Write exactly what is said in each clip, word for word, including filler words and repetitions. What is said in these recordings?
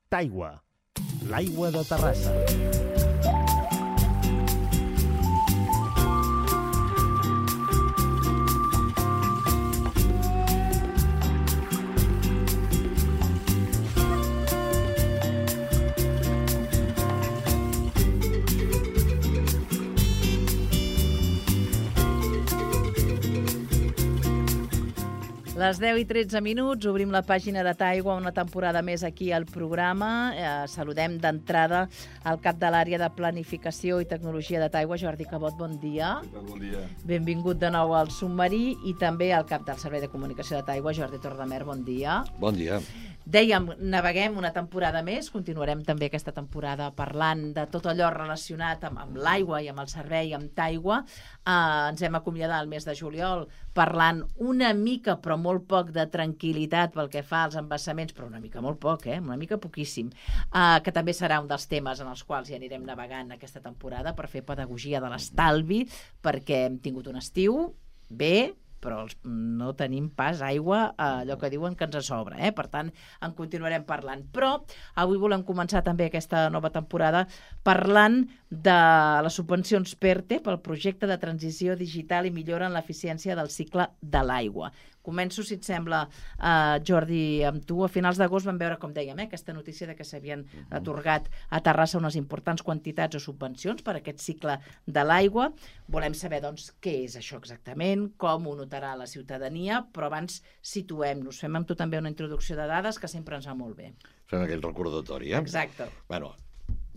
Taigua, l'aigua de Terrassa. Les deu i tretze minuts, obrim la pàgina de Taigua, una temporada més aquí al programa. Eh, saludem d'entrada al cap de l'àrea de planificació i tecnologia de Taigua, Jordi Cabot, bon dia. Què tal? Bon dia. Benvingut de nou al submarí, i també al cap del Servei de Comunicació de Taigua, Jordi Torredemer, bon dia. Bon dia. Dèiem, naveguem una temporada més, continuarem també aquesta temporada parlant de tot allò relacionat amb, amb l'aigua i amb el servei, amb Taigua. Uh, ens hem acomiadat el mes de juliol parlant una mica, però molt poc, de tranquil·litat pel que fa als embassaments, però una mica molt poc, eh? Una mica poquíssim, uh, que també serà un dels temes en els quals hi anirem navegant aquesta temporada per fer pedagogia de l'estalvi, perquè hem tingut un estiu bé, però els, no tenim pas aigua, eh, allò que diuen que ens sobra, eh? Per tant, en continuarem parlant. Però avui volem començar també aquesta nova temporada parlant de les subvencions PERTE pel projecte de transició digital i millora en l'eficiència del cicle de l'aigua. Començo, si et sembla, uh, Jordi, amb tu. A finals d'agost vam veure, com dèiem, eh, aquesta notícia de que s'havien atorgat a Terrassa unes importants quantitats o subvencions per a aquest cicle de l'aigua. Volem saber, doncs, què és això exactament, com ho notarà la ciutadania, però abans situem-nos. Fem amb tu també una introducció de dades que sempre ens va molt bé. Fem aquell recordatori, eh? Exacte. Bueno,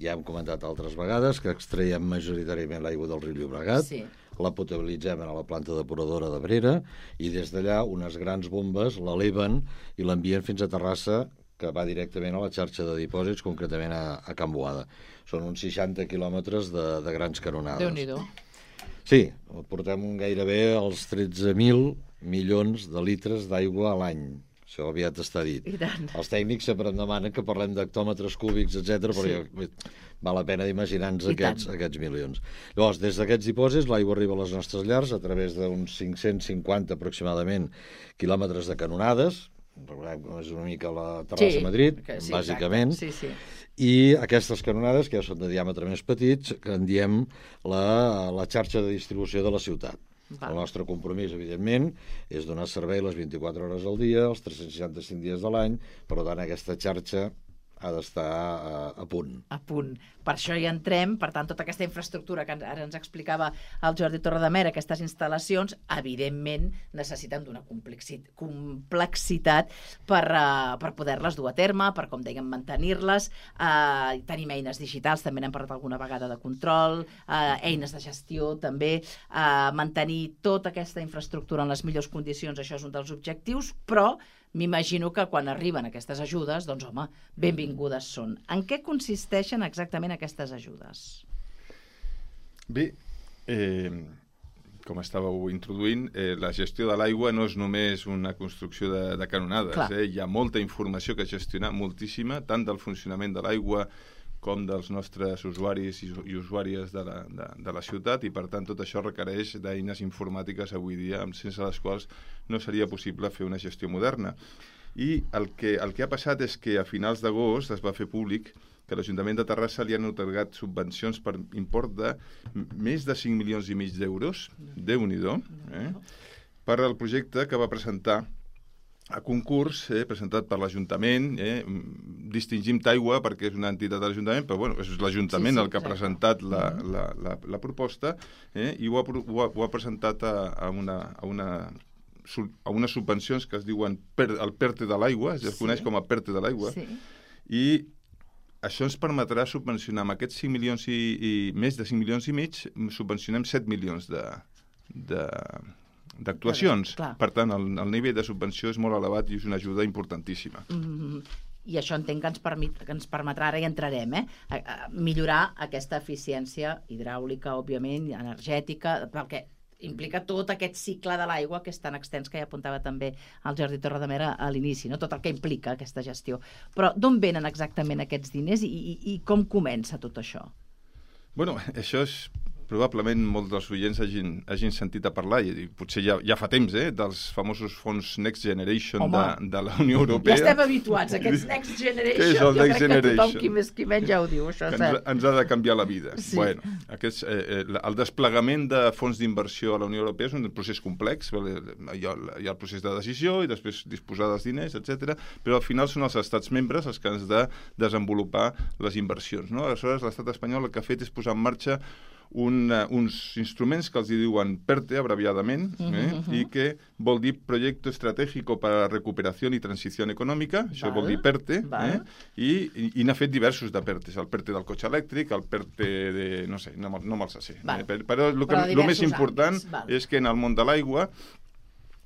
ja hem comentat altres vegades que extraiem majoritàriament l'aigua del riu Llobregat, Sí. la potabilitzem a la planta depuradora d'Abrera i des d'allà unes grans bombes l'eleven i l'envien fins a Terrassa, que va directament a la xarxa de dipòsits, concretament a, a Can Boada. Són uns seixanta quilòmetres de, de grans canonades. Déu-n'hi-do. Sí, portem gairebé els tretze mil milions de litres d'aigua a l'any. Això aviat està dit. I tant. Els tècnics sempre em demanen que parlem d'hectòmetres cúbics, etcètera, però Sí. ja, val la pena d'imaginar-nos I aquests, tant. aquests milions. Llavors, des d'aquests dipòsits, l'aigua arriba a les nostres llars a través d'uns cinc-cents cinquanta aproximadament quilòmetres de canonades. Recordem que és una mica la Terrassa-Madrid, que sí, bàsicament. exacte. Sí, sí. I aquestes canonades, que ja són de diàmetre més petits, que en diem la, la xarxa de distribució de la ciutat. Val. El nostre compromís, evidentment, és donar servei les vint-i-quatre hores al dia, els tres-cents seixanta-cinc dies de l'any, per tant, aquesta xarxa ha d'estar a, a punt. A punt. Per això hi entrem, per tant, tota aquesta infraestructura que ara ens explicava el Jordi Torredemer, aquestes instal·lacions, evidentment, necessiten d'una complexitat per, uh, per poder-les dur a terme, per, com dèiem, mantenir-les. Uh, tenim eines digitals, també n'hem parlat alguna vegada de control, uh, eines de gestió, també, uh, mantenir tota aquesta infraestructura en les millors condicions, això és un dels objectius, però m'imagino que quan arriben aquestes ajudes, doncs, home, benvingudes són. En què consisteixen exactament aquestes ajudes? Bé, eh, com estàveu introduint, eh, la gestió de l'aigua no és només una construcció de, de canonades. Eh? Hi ha molta informació que gestionar, moltíssima, tant del funcionament de l'aigua com dels nostres usuaris i, i usuàries de la, de, de la ciutat, i per tant tot això requereix d'eines informàtiques avui dia, sense les quals no seria possible fer una gestió moderna. I el que, el que ha passat és que a finals d'agost es va fer públic que l'Ajuntament de Terrassa li han atorgat subvencions per import de més de cinc milions i mig d'euros, Déu-n'hi-do, eh, per al projecte que va presentar a concurs, eh, presentat per l'Ajuntament. eh, distingim Taigua perquè és una entitat de l'Ajuntament, però bueno, és l'Ajuntament sí, sí, el que ha presentat la, la, la, la proposta, eh, i ho ha, ho ha, ho ha presentat a, a, una, a, una, a unes subvencions que es diuen per, el PERTE de l'aigua, es sí. coneix com a PERTE de l'aigua, sí. i això ens permetrà subvencionar amb aquests cinc milions i, i més de cinc milions i mig, subvencionem set milions de... de d'actuacions. Clar. Per tant, el, el nivell de subvenció és molt elevat i és una ajuda importantíssima. Mm-hmm. I això entenc que ens, permet, que ens permetrà, ara hi entrarem, eh? a, a millorar aquesta eficiència hidràulica, òbviament, energètica, perquè implica tot aquest cicle de l'aigua que és tan extens, que ja apuntava també el Jordi Torredemer a l'inici, no? Tot el que implica aquesta gestió. Però d'on venen exactament aquests diners i, i, i com comença tot això? Bueno, això és probablement molts dels oients hagin, hagin sentit a parlar, i potser ja, ja fa temps, eh, dels famosos fons Next Generation de, de la Unió Europea. Ja estem habituats a aquests Next Generation. Què és el jo Next crec Generation? que tothom qui més qui menys ja ho diu, això. Que ens, ens ha de canviar la vida. Sí. Bueno, aquests, eh, el desplegament de fons d'inversió a la Unió Europea és un procés complex. Hi ha, hi ha el procés de decisió i després disposar dels diners, etcètera. Però al final són els estats membres els que han de desenvolupar les inversions. No? Aleshores, l'estat espanyol el que ha fet és posar en marxa un, uh, uns instruments que els diuen PERTE, abreviadament, eh? uh -huh. i que vol dir Proyecto Estratégico para la Recuperación y Transición Económica, això val, vol dir PERTE, eh? i, i, i n'ha fet diversos de PERTEs, el PERTE del cotxe elèctric, el PERTE de... no sé, no, no me'ls sé. Eh? Però el que, lo més important àmbits, és que en el món de l'aigua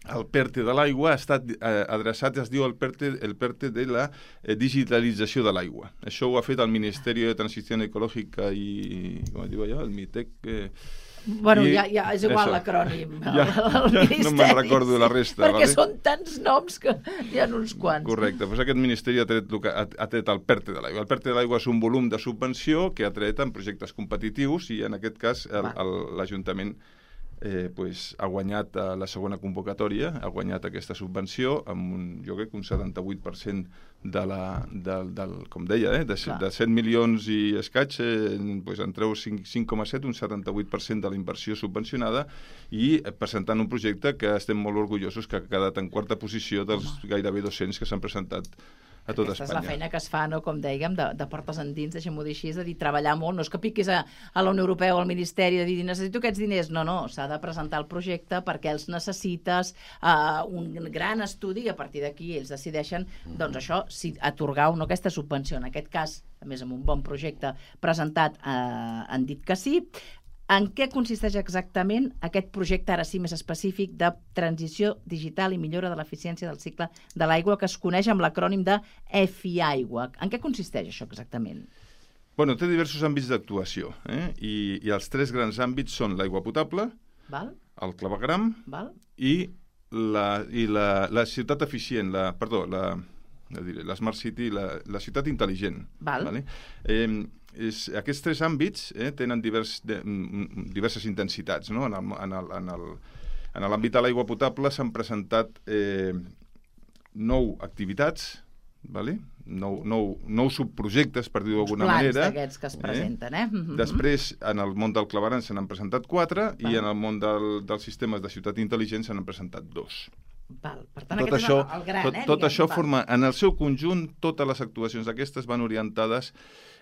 el PERTE de l'aigua ha estat eh, adreçat, es diu el PERTE, el PERTE de la eh, digitalització de l'aigua. Això ho ha fet el Ministeri de Transició Ecològica i, com es diu allò, el MITEC... Eh, bueno, i, ja, ja és igual l'acrònim. Ja, ja no me'n recordo la resta. Perquè vale? Són tants noms que hi ha uns quants. Correcte, doncs aquest Ministeri ha tret, ha, ha tret el PERTE de l'aigua. El PERTE de l'aigua és un volum de subvenció que ha tret en projectes competitius i en aquest cas l'Ajuntament Eh, pues, ha guanyat a la segona convocatòria, ha guanyat aquesta subvenció amb un, jo crec, un setanta-vuit per cent de la, del, del, com deia, eh, de, de set milions i escaig, eh, pues, en treu cinc coma set, un setanta-vuit per cent de la inversió subvencionada i eh, presentant un projecte que estem molt orgullosos que ha quedat en quarta posició dels Home. gairebé dos-cents que s'han presentat a tot Aquesta Espanya. és la feina que es fa, no? Com dèiem, de, de portes endins, deixem-ho dir així, és a dir, treballar molt, no és que piquis a, a la Unió Europea o al Ministeri de dir necessito aquests diners, no, no, s'ha de presentar el projecte perquè els necessites, uh, un gran estudi i a partir d'aquí ells decideixen, doncs això, si atorgar o no aquesta subvenció, en aquest cas, a més amb un bon projecte presentat, uh, han dit que sí. En què consisteix exactament aquest projecte, ara sí més específic, de transició digital i millora de l'eficiència del cicle de l'aigua, que es coneix amb l'acrònim de EFI-Aigua? En què consisteix això exactament? Bueno, té diversos àmbits d'actuació, eh? I, i els tres grans àmbits són l'aigua potable, Val? el clavegram Val? i la, i la, la ciutat eficient, la, perdó, la, la Smart City, la, la ciutat intel·ligent. Val. Vale? Eh, és, aquests tres àmbits eh, tenen divers, de, diverses intensitats. No? En l'àmbit de l'aigua potable s'han presentat eh, nou activitats, vale? nou, nou, nou subprojectes, per dir-ho d'alguna manera. Plans d'aquests que es presenten, eh? eh? Després, en el món del clavegram se n'han presentat quatre Val. i en el món del, dels sistemes de ciutat intel·ligent se n'han presentat dos. Val. Per tant, tot aquest això, és el, el gran, tot, eh? tot diguem, això val. forma, en el seu conjunt, totes les actuacions d'aquestes van orientades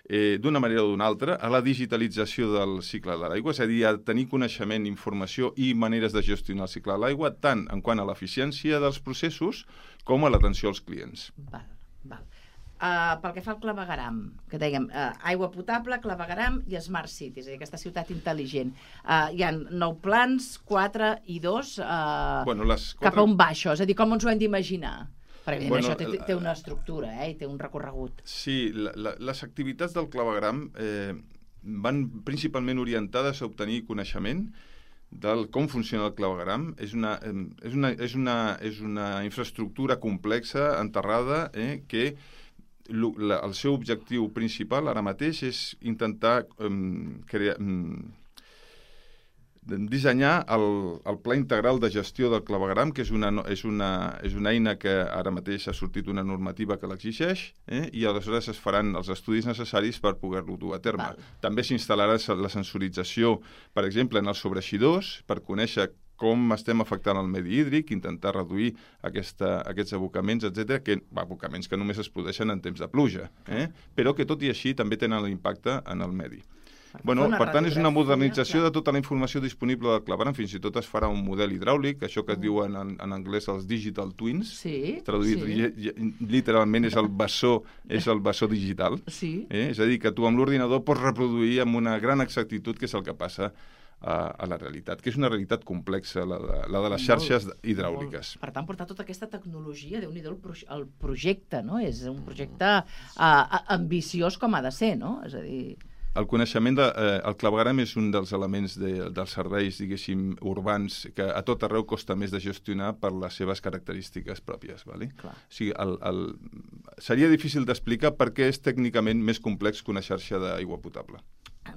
eh, d'una manera o d'una altra a la digitalització del cicle de l'aigua, és a dir, a tenir coneixement, informació i maneres de gestionar el cicle de l'aigua, tant en quant a l'eficiència dels processos com a l'atenció als clients. Val, val. Uh, pel que fa al clavegram, que dèiem, uh, aigua potable, clavegram i Smart City, és a dir, aquesta ciutat intel·ligent. Uh, hi ha nou plans, quatre i dos, uh, bueno, les quatre... cap a un baixo, és a dir, com ens ho hem d'imaginar? Perquè bueno, això té, té una estructura, eh, i té un recorregut. Sí, la, la, les activitats del clavegram eh, van principalment orientades a obtenir coneixement del com funciona el clavegram. És una, eh, és una, és una, és una infraestructura complexa, enterrada, eh, que La, el seu objectiu principal ara mateix és intentar um, crear, um, dissenyar el, el pla integral de gestió del clavegram, que és una, és, una, és una eina que ara mateix ha sortit una normativa que l'exigeix, eh, i aleshores es faran els estudis necessaris per poder-lo dur a terme. Val. També s'instal·larà la sensorització, per exemple, en els sobreeixidors, per conèixer com estem afectant el medi hídric, intentar reduir aquesta, aquests abocaments, etcètera, que abocaments que només es produeixen en temps de pluja, eh? però que tot i així també tenen l'impacte en el medi. Bueno, per tant, és una modernització de tota la informació disponible del clavegram, fins i tot es farà un model hidràulic, això que es diu en, en anglès els digital twins, sí, traduït sí. literalment és el bessó, és el bessó digital, sí. eh? És a dir, que tu amb l'ordinador pots reproduir amb una gran exactitud què és el que passa a, a la realitat, que és una realitat complexa, la de, la de les xarxes molt, hidràuliques. Molt. Per tant, portar tota aquesta tecnologia, Déu-n'hi-do el, pro el projecte, no? És un projecte uh, ambiciós com ha de ser, no? És a dir... El coneixement de, eh, el clavegram és un dels elements de, dels serveis, diguéssim, urbans, que a tot arreu costa més de gestionar per les seves característiques pròpies. Vale? O sigui, el, el... seria difícil d'explicar per què és tècnicament més complex que una xarxa d'aigua potable.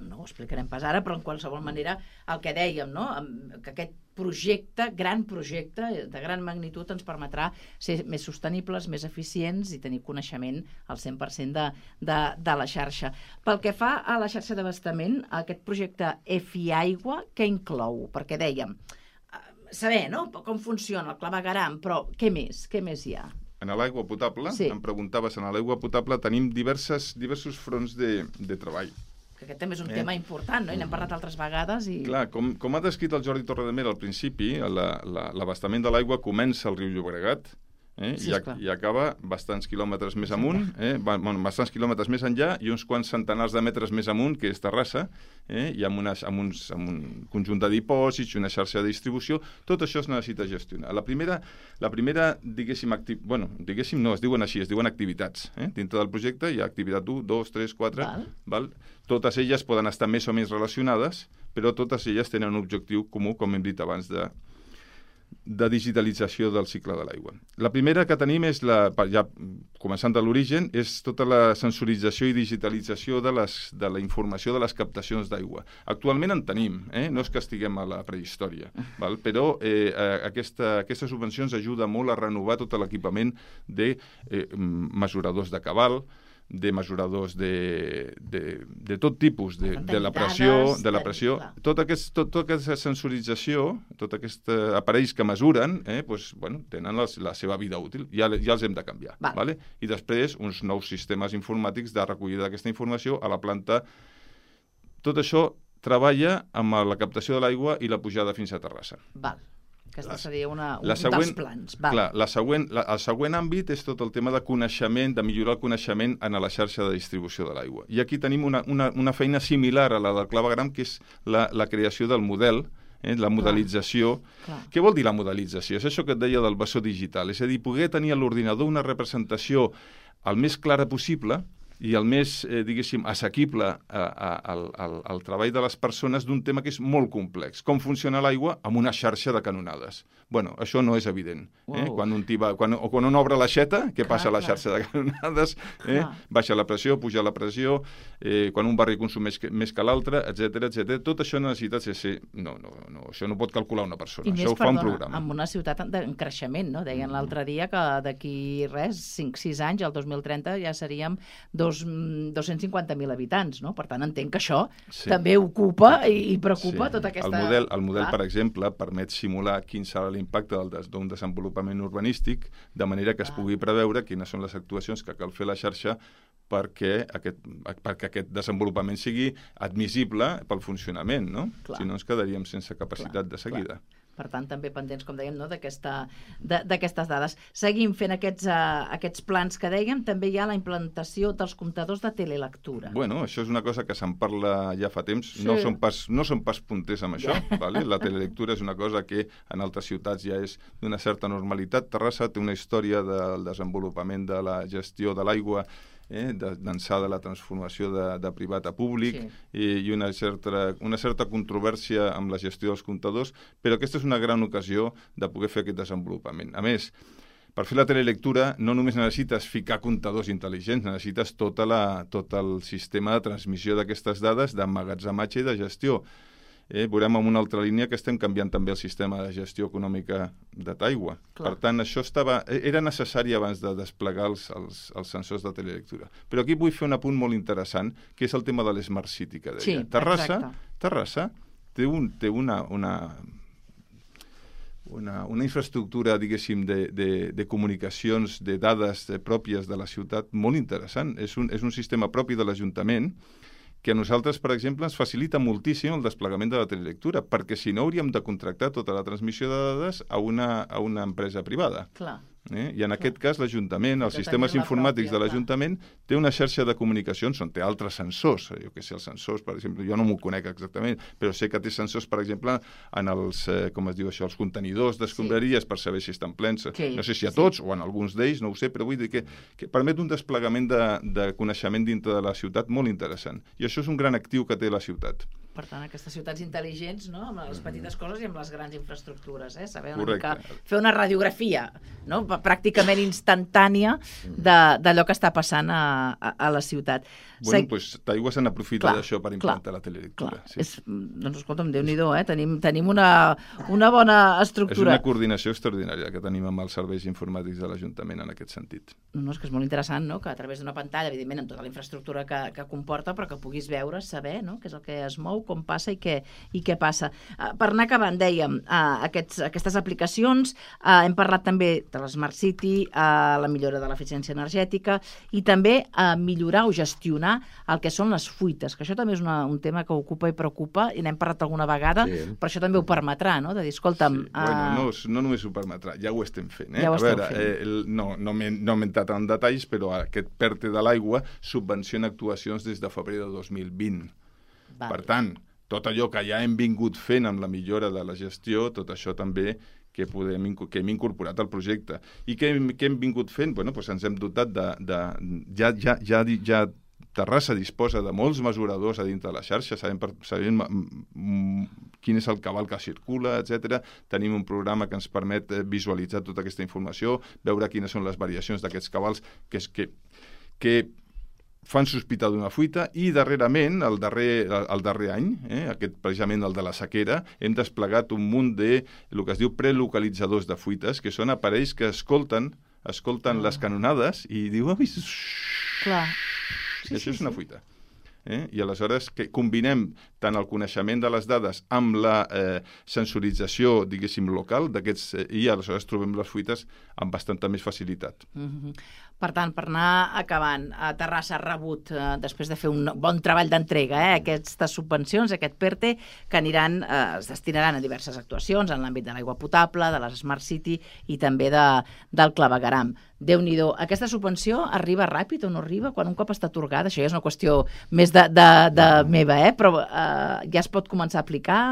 no ho explicarem pas ara, però en qualsevol manera el que dèiem, no? Que aquest projecte, gran projecte, de gran magnitud, ens permetrà ser més sostenibles, més eficients i tenir coneixement al cent per cent de, de, de la xarxa. Pel que fa a la xarxa d'abastament, aquest projecte E F I Aigua, què inclou? Perquè dèiem, saber, no?, com funciona el clavegueram, però què més? Què més hi ha? En l'aigua potable, sí. Em preguntaves, en l'aigua potable tenim diverses, diversos fronts de, de treball. Que aquest també és un eh? tema important, no? I n'hem parlat altres vegades. I... Clar, com, com ha descrit el Jordi Torredemera al principi, l'abastament la, la, de l'aigua comença al riu Llobregat, eh? Sí, I, I acaba bastants quilòmetres més amunt, eh? bueno, bastants quilòmetres més enllà i uns quants centenars de metres més amunt, que és Terrassa, eh? I amb, unes, amb, uns, amb un conjunt de dipòsits, una xarxa de distribució, tot això es necessita gestionar. La primera, la primera diguéssim, acti... bueno, diguéssim no, es diuen així, es diuen activitats. Eh? Dintre del projecte hi ha activitat u, dos, tres, quatre, val. Val? Totes elles poden estar més o menys relacionades, però totes elles tenen un objectiu comú, com hem dit abans, de de digitalització del cicle de l'aigua. La primera que tenim és, la, ja començant de l'origen, és tota la sensorització i digitalització de, les, de la informació de les captacions d'aigua. Actualment en tenim, eh? No és que estiguem a la prehistòria, val? Però eh, aquesta, aquestes subvencions ajuden molt a renovar tot l'equipament de eh, mesuradors de cabal, de mesuradors de, de, de tot tipus, de, de la pressió, de la pressió, tota, aquest, tot, tota aquesta sensorització, tots aquests aparells que mesuren, eh, doncs, bueno, tenen la, la seva vida útil, ja, ja els hem de canviar. Val. Vale? I després uns nous sistemes informàtics de recollida d'aquesta informació a la planta. Tot això treballa amb la captació de l'aigua i la pujada fins a Terrassa. Val. Aquesta seria una, un següent, dels plans. Val. Clar, la següent, la, el següent àmbit és tot el tema de coneixement, de millorar el coneixement en la xarxa de distribució de l'aigua. I aquí tenim una, una, una feina similar a la del clavegueram, que és la, la creació del model, eh, la modelització. Clar. Què vol dir la modelització? És això que et deia del bessó digital, és a dir, poder tenir a l'ordinador una representació el més clara possible i el més, eh, diguéssim, assequible a, a, al, al, al treball de les persones d'un tema que és molt complex. Com funciona l'aigua amb una xarxa de canonades. Bueno, això no és evident. Eh? Wow. Quan un tiba, quan, o quan un obre l'aixeta, què clar, passa a la clar. xarxa de canonades? Eh? Baixa la pressió, puja la pressió, eh, quan un barri consumeix que, més que l'altre, etcètera, etcètera. Tot això necessita ser... No, no, no, això no pot calcular una persona. I això més, ho fa perdona, un programa. amb una ciutat en creixement, no? Deien l'altre dia que d'aquí res, cinc sis anys, el dos mil trenta, ja seríem dos, dos-cents cinquanta mil habitants, no? Per tant, entenc que això sí. també ocupa i, i preocupa sí. tota aquesta... El model, el model per exemple, permet simular quin serà l'impacte d'un desenvolupament urbanístic, de manera que es pugui preveure quines són les actuacions que cal fer a la xarxa perquè aquest, perquè aquest desenvolupament sigui admissible pel funcionament, no? Clar. Si no ens quedaríem sense capacitat clar, de seguida. Clar. Per tant, també pendents, com dèiem, no, d'aquestes dades. Seguim fent aquests, uh, aquests plans que dèiem. També hi ha la implantació dels comptadors de telelectura. Bueno, això és una cosa que se'n parla ja fa temps. Sí. No són pas, no són pas punters amb això. Vale? La telelectura és una cosa que en altres ciutats ja és d'una certa normalitat. Terrassa té una història del desenvolupament de la gestió de l'aigua, Eh, d'ençà de la transformació de, de privat a públic sí. i, i una, certa, una certa controvèrsia amb la gestió dels comptadors, però aquesta és una gran ocasió de poder fer aquest desenvolupament. A més, per fer la telelectura no només necessites ficar comptadors intel·ligents, necessites tota la, tot el sistema de transmissió d'aquestes dades, d'emmagatzematge i de gestió. Eh, veurem en una altra línia que estem canviant també el sistema de gestió econòmica de l'aigua. Per tant, això estava, era necessari abans de desplegar els, els, els sensors de telelectura. Però aquí vull fer un apunt molt interessant, que és el tema de l'Smart City, que deia. Sí, Terrassa, exacte. Terrassa té, un, té una, una, una, una infraestructura, diguéssim, de, de, de comunicacions, de dades de, pròpies de la ciutat molt interessant. És un, és un sistema propi de l'Ajuntament que a nosaltres, per exemple, ens facilita moltíssim el desplegament de la telelectura, perquè si no hauríem de contractar tota la transmissió de dades a una, a una empresa privada. Clar. Eh? I en clar. aquest cas l'Ajuntament, els sistemes informàtics pròpia, de l'Ajuntament, té una xarxa de comunicacions on té altres sensors. Jo què sé, els sensors, per exemple, jo no m'ho conec exactament, però sé que té sensors, per exemple, en els, eh, com es diu això, els contenidors d'escombraries sí. per saber si estan plens. Sí. No sé si a tots sí. o en alguns d'ells, no ho sé, però vull dir que, que permet un desplegament de, de coneixement dintre de la ciutat molt interessant. I això és un gran actiu que té la ciutat. Per tant, aquestes ciutats intel·ligents, no? Amb les petites coses i amb les grans infraestructures, eh? Saber una Correcte. mica fer una radiografia, no? Pràcticament instantània d'allò que està passant a, a, a la ciutat. Bueno, Seg... doncs t'aigua se n'aprofita d'això per implantar clar, la telelectura. Clar. Sí. És, doncs escolta'm, Déu-n'hi-do, eh? Tenim, tenim una, una bona estructura. És una coordinació extraordinària que tenim amb els serveis informàtics de l'Ajuntament en aquest sentit. No, no, és que és molt interessant, no?, que a través d'una pantalla, evidentment, amb tota la infraestructura que, que comporta, però que puguis veure, saber, no?, què és el que es mou, com passa i què, i què passa. Uh, per anar acabant, dèiem, uh, aquests, aquestes aplicacions, uh, hem parlat també de l'Smart City, uh, la millora de l'eficiència energètica i també uh, millorar o gestionar el que són les fuites, que això també és una, un tema que ocupa i preocupa, i n'hem parlat alguna vegada, sí. Però això també ho permetrà, no?, de dir, escolta'm... Sí. Uh... Bueno, no, no només ho permetrà, ja ho estem fent, eh? Ja ho a estem veure, fent. Eh, el, no, no m'he no entrat en detalls, però aquest PERTE de l'aigua subvenciona actuacions des de febrer de dos mil vint. Val. Per tant, tot allò que ja hem vingut fent amb la millora de la gestió, tot això també que, podem, que hem incorporat al projecte. I què hem, què hem vingut fent? Bueno, doncs ens hem dotat de... de ja, ja, ja, ja Terrassa disposa de molts mesuradors a dintre de la xarxa, sabem, sabem quin és el cabal que circula, etcètera. Tenim un programa que ens permet visualitzar tota aquesta informació, veure quines són les variacions d'aquests cabals que, és que, que fan sospitar d'una fuita, i darrerament, el darrer, el darrer any, eh, aquest precisament el de la sequera, hem desplegat un munt de el que es diu prelocalitzadors de fuites, que són aparells que escolten, escolten ah. les canonades i diuen... Clar. Sí, això sí, és una fuita. Eh? I aleshores que combinem tant el coneixement de les dades amb la eh, sensorització, diguéssim, local d'aquests, eh, i aleshores trobem les fuites amb bastanta més facilitat. Mm-hmm. Per tant, per anar acabant, a Terrassa ha rebut, eh, després de fer un bon treball d'entrega, eh, aquestes subvencions, aquest PERTE, que aniran, eh, es destinaran a diverses actuacions en l'àmbit de l'aigua potable, de les Smart City i també de, del clavegueram. Déu-n'hi-do. Aquesta subvenció arriba ràpid o no arriba? Quan un cop està atorgada, això ja és una qüestió més de, de, de meva, eh? Però eh, ja es pot començar a aplicar?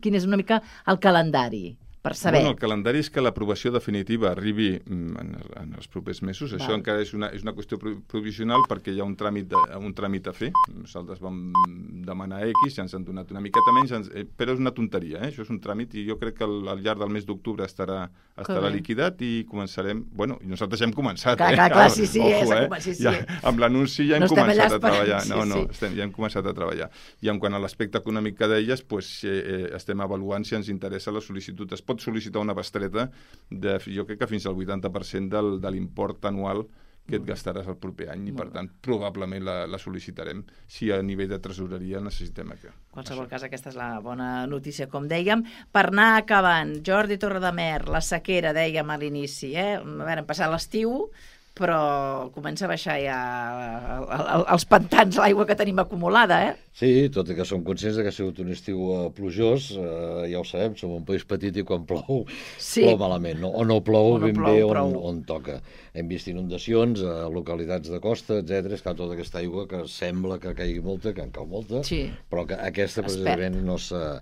Quin és una mica el calendari? Per saber. Bueno, el calendari és que l'aprovació definitiva arribi en, en els propers mesos. Val. Això encara és una, és una qüestió provisional perquè hi ha un tràmit, de, un tràmit a fer. Nosaltres vam demanar X, ja ens han donat una miqueta menys, ens, eh, però és una tonteria, eh? Això és un tràmit i jo crec que al, al llarg del mes d'octubre estarà, estarà liquidat i començarem... Bueno, i nosaltres ja hem començat. Clar, eh? clar, clar, sí, sí. Ojo, eh? eh? Sí, sí. Ja, amb l'anunci ja hem no començat a treballar. Sí, no, no, sí. estem, ja hem començat a treballar. I en quant a l'aspecte econòmic que deies, pues, eh, estem avaluant si ens interessa la sol·licitud. Es pot sol·licitar una bestreta de, jo crec que fins al vuitanta per cent del, de l'import anual que et gastaràs el proper any i, per tant, probablement la, la sol·licitarem si a nivell de tresoreria necessitem això. En qualsevol cas, aquesta és la bona notícia, com dèiem. Per anar acabant, Jordi Torredemer, la sequera, dèiem a l'inici, eh? A veure, hem passat l'estiu, però comença a baixar ja els pantans, l'aigua que tenim acumulada, eh? Sí, tot i que som conscients que ha sigut un estiu uh, plujós, uh, ja ho sabem, som un país petit i quan plou, sí. plou malament, no? O no plou o no ben plou, bé on, on toca. Hem vist inundacions a localitats de costa, etcètera. És que tota aquesta aigua que sembla que caigui molta, que en cau molta, sí. però que aquesta precisament no s'ha...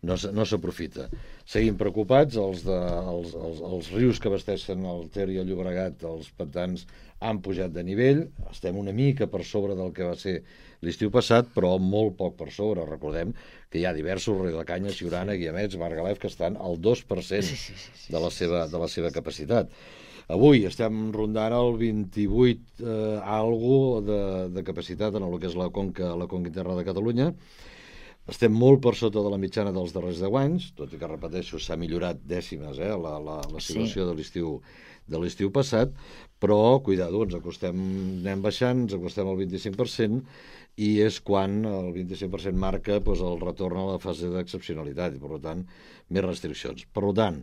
no s'aprofita. Seguim preocupats, els, de, els, els, els rius que abasteixen el Ter i el Llobregat, els pantans, han pujat de nivell, estem una mica per sobre del que va ser l'estiu passat, però molt poc per sobre. Recordem que hi ha diversos Riudecanyes, Siurana, Guiamets, Margalef, que estan al dos per cent sí, sí, sí, sí, de, la seva, de la seva capacitat. Avui estem rondant el vint-i-vuit eh, algo de, de capacitat en el que és la conca, la conca interna de Catalunya. Estem molt per sota de la mitjana dels darrers deu anys, tot i que, repeteixo, s'ha millorat dècimes eh, la, la, la situació sí. de l'estiu de l'estiu passat, però, cuidado, ens acostem, anem baixant, ens acostem al vint-i-cinc per cent, i és quan el vint-i-cinc per cent marca doncs, el retorn a la fase d'excepcionalitat, i, per tant, més restriccions. Per tant,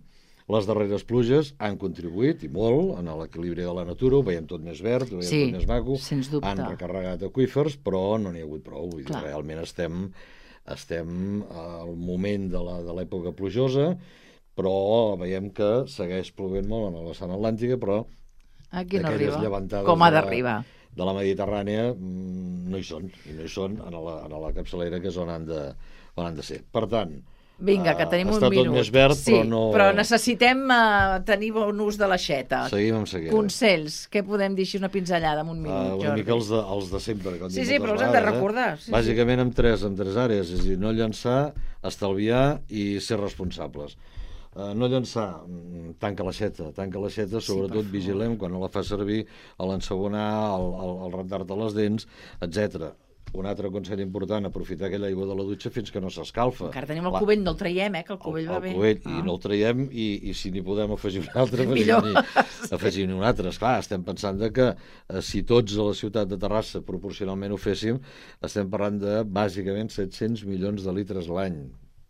les darreres pluges han contribuït, i molt, en l'equilibri de la natura, ho veiem tot més verd, ho veiem sí, tot més maco, han recarregat aqüífers, però no n'hi ha hagut prou, vull dir, realment estem... estem al moment de l'època plujosa, però veiem que segueix plovent molt en la vessant atlàntica, però aquí no aquelles arriba. llevantades Com ha de, d'arribar? de la Mediterrània no hi són, i no hi són en la, en la capçalera, que és on han de, on han de ser. Per tant, Vinga, que tenim un està minut. Està tot més verd, sí, però no... però necessitem uh, tenir bon ús de l'aixeta. Seguim amb seguida. Consells, què podem dir així una pinzellada en un minut, uh, Jordi? Una mica els de, els de sempre. Que sí, sí, però els hem de recordar. Eh? Sí, Bàsicament sí. amb tres, amb tres àrees, és a dir, no llançar, estalviar i ser responsables. Uh, no llançar, tanca l'aixeta, tanca l'aixeta, sobretot sí, vigilem quan no la fa servir, a l'ensabonar, al, al, al rentar-te les dents, etcètera. Un altre consell important, aprofitar aquella aigua de la dutxa fins que no s'escalfa. Encara tenim el cubell, no el traiem, eh, que el cubell el, va bé. El cubell, ah. i no el traiem, i, i si n'hi podem afegir un altre, afegim-n'hi afegim un altre. Esclar, estem pensant de que eh, si tots a la ciutat de Terrassa proporcionalment ho féssim, estem parlant de, bàsicament, set-cents milions de litres l'any.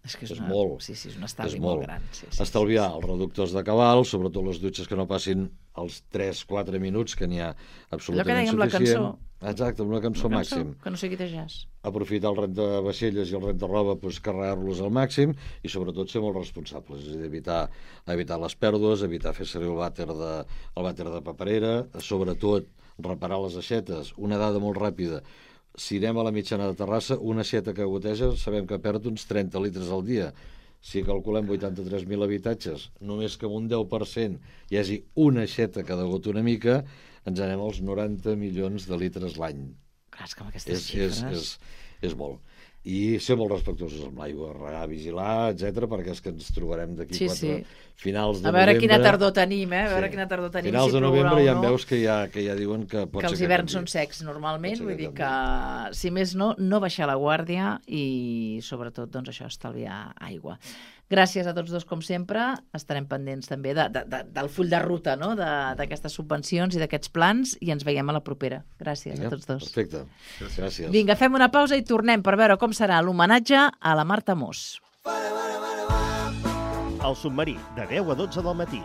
És que és, és una... molt. Sí, sí, és un estalvi és molt, molt gran. Sí, sí, Estalviar sí, sí. els reductors de cabal, sobretot les dutxes que no passin els tres quatre minuts, que n'hi ha absolutament suficient. Allò que dèiem la cançó. Exacte, amb una cançó, una màxim. Que no sigui de jazz. Aprofitar el rentavaixelles i el rentaroba, doncs, carregar-los al màxim i sobretot ser molt responsables, és a dir, evitar, evitar les pèrdues, evitar fer servir el vàter de, el vàter de paperera, sobretot reparar les aixetes. Una dada molt ràpida: si anem a la mitjana de Terrassa, una aixeta que goteja sabem que perd uns trenta litres al dia. Si calculem vuitanta-tres mil habitatges, només que amb un deu per cent hi hagi una aixeta que degota una mica, ens anem als noranta milions de litres l'any. Clar, és que amb aquestes és, xifres... És, és, és molt. I ser molt respectuosos amb l'aigua, regar, vigilar, etcètera, perquè és que ens trobarem d'aquí sí, quatre sí. finals de novembre. A veure novembre. quina tardor tenim, eh? A veure sí. quina tardor tenim. Finals si de novembre ja no. veus que ja, que ja diuen que pot que ser els que hiverns canvi. són secs normalment, Pot ser vull que dir que, si més no, no baixar la guàrdia i, sobretot, doncs això, estalviar aigua. Gràcies a tots dos, com sempre. Estarem pendents també de, de, de, del full de ruta, no?, d'aquestes subvencions i d'aquests plans, i ens veiem a la propera. Gràcies Vinga, a tots dos. Perfecte. Gràcies. Vinga, fem una pausa i tornem per veure com serà l'homenatge a la Marta Mos. El submarí, de deu a dotze del matí.